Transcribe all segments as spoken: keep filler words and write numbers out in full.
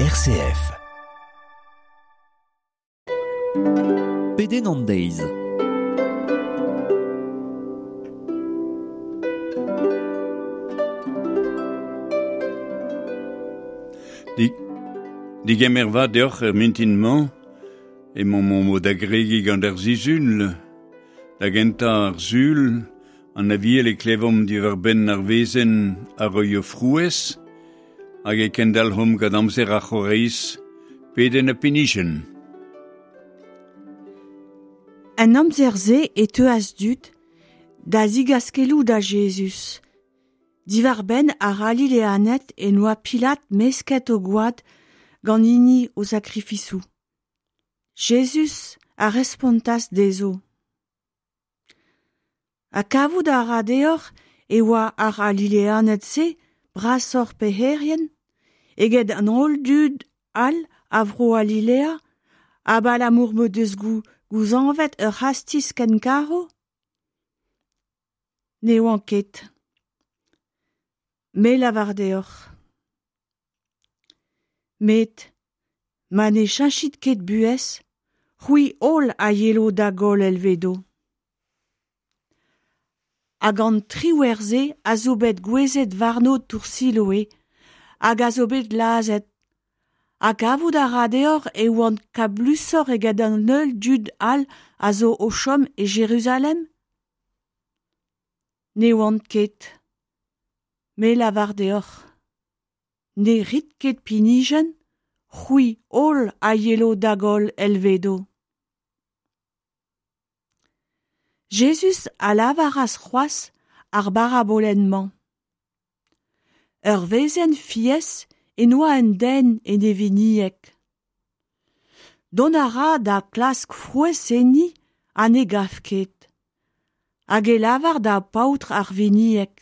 R C F. Pedenn an deiz. Di, digemer va deoc'h er mintin-mañ, emañ mo da gregi gant ar sizhun, da gentañ ar sul, an aviel e klevomp diwar benn ar wezenn ar roio frouezh, hag e kendalc'homp gant amzer ar c'horeiz, pedenn ha pinijenn. An amzer-se e teuas dud da zigaskeloù da Jezuz. Diwar benn ar Galileaned e noa Pilat mesket o gwad gant hini o sakrifisoù. Jezuz a respontas dezho. Ha kavout a ra deoc'h e oa ar Galileaned-se brasoc'h pec'herien eget an holl dud all a vro Galilea abalamour m'o deus gouzañvet ur c'hastiz ken garv? Ne oant ket. Me lavar deoc'h. Met ma ne cheñchit ket buhez, c'hwi holl a yelo da goll elvedo. Hag an triwec'h-se a zo bet gouezet warno tour Siloe hag a zo bet lazhet. Ha kavout a ra deoc'h e oant kablusoc'h eget an holl dud all a zo o chom e Jeruzalem? Ne oant ket. Me lavar deoc'h. Ne rit ket pinijenn, c'hwi holl a yelo da goll elvedo. Jezuz a lavaras c'hoazh ar barabolenn-mañ. Ur wezenn fiez e noa un den en e vinieg. Dont a ra da klask frouezh enni ha ne gav ket. Hag e lavar da paotr ar vinieg.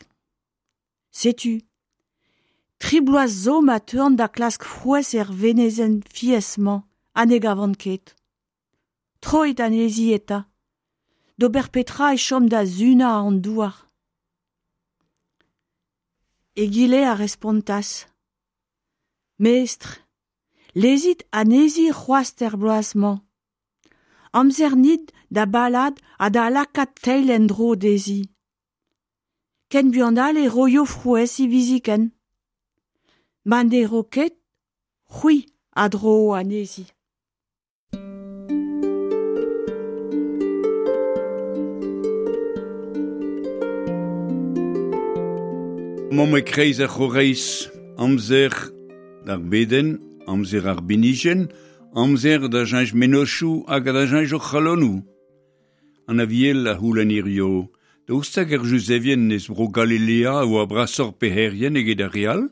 Setu, tri bloaz zo ma teuan da klask frouezh er wezenn fiez-mañ ha ne gavan ket. Troit anezhi eta. D'ober petra e chom da sunañ an douar. Egile a respontas. Mestr, lezit anezhi c'hoazh er bloaz-mañ. Amzer nit da balad ha da lakaat teil en-dro dezhi. Ken buan all e roio frouezh hiviziken. Ma ne ro ket, c'hwi a dro anezhi. Emaomp e-kreiz ar c'horeiz, amzer d'ar bedenn, amzer ar binijenn, amzer da cheñch mennozhioù hag da cheñch hor c'halonoù. An aviel a c'houlenn hirio, daoust hag ar Juzevien eus bro Galilea a oa brasoc'h pec'herien eget ar re all?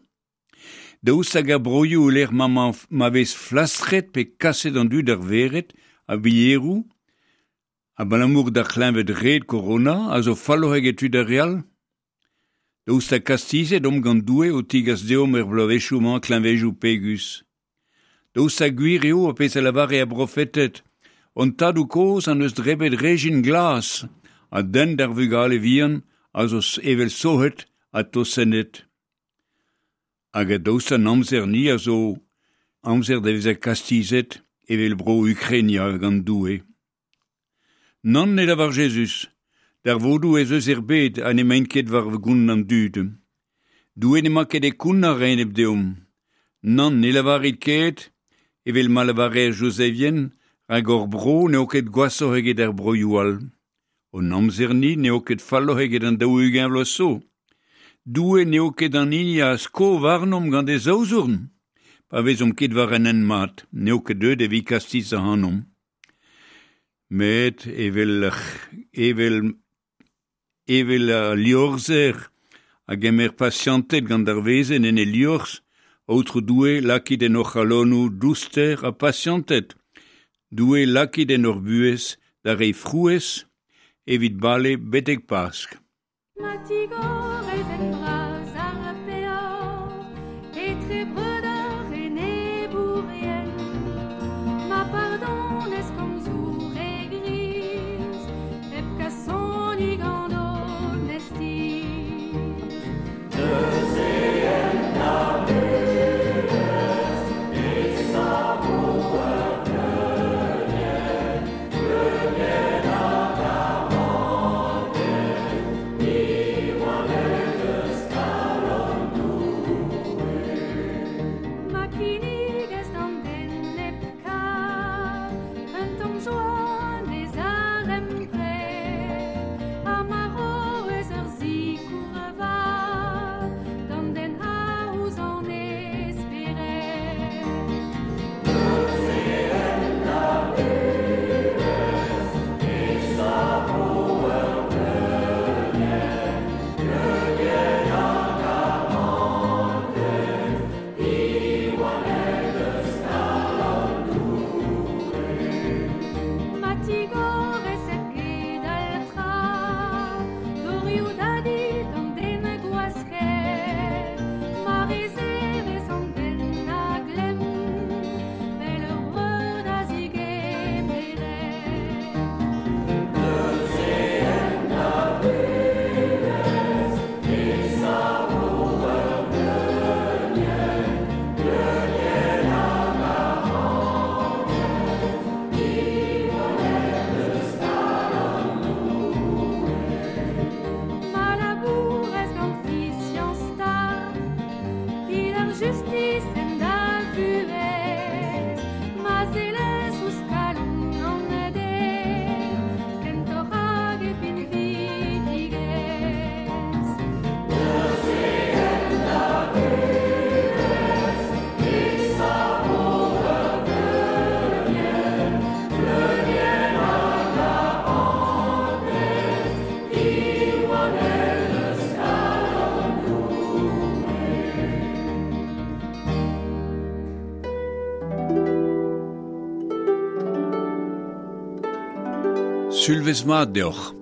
Daoust hag ar broioù lec'h ma, ma vez flastret pe kaset an dud ar vered a bilheroù, abalamour d'ar c'hleñved red korona a zo falloc'h eget tud ar re all? Daoust ha kastizet omp gant Doue o tigas deomp er bloavezhioù-mañ kleñvedoù pegus. Daoust ha gwir eo a pezh a lavare ar brofeted, hon tadoù kozh an eus drebet rejin glas, ha dent d'ar vugale vihan a zo evel sohet ha tosennet. Hag a daoust an amzer ni a zo amzer da vezañ kastizet evel bro Ukrainia gant Doue. Nann ne lavar Jezuz, darvoudoù ez eus er bed ha n'emaint ket war gont an dud. Doue n'emañ ket e kounnar a-enep deomp. Nann ne lavarit ket, evel ma lavare ar Juzevien, rak hor bro n'eo ket gwashoc'h eget ar broioù all. Hon amzer-ni n'eo ket falloc'h eget an daou-ugent vloaz zo. Doue n'eo ket an hini a sko warnomp gant e zaouzourn. Pa vezomp ket war an hent mat, n'eo ket deuet evit kastiz ac'hanomp. Met evel, evel, evel a liorzher a gemer pasianted gant ar wezenn en e liorzh, Aotrou Doue lakit en hor c'halonoù douster ha pasianted. Doue lakit en hor buhez da reiñ frouezh evit bale betek Pask. Ma tigorez en bras ar peoc'h, etre breudeur enebourien, ma pardonez komzoù re griz, hep kasoni gant onestiz. Neuze en a buhez, justis en da vuhez, ma sellez ouzh kalon an den, kentoc'h hag e pinvidigezh. Sulvez mat deoc'h.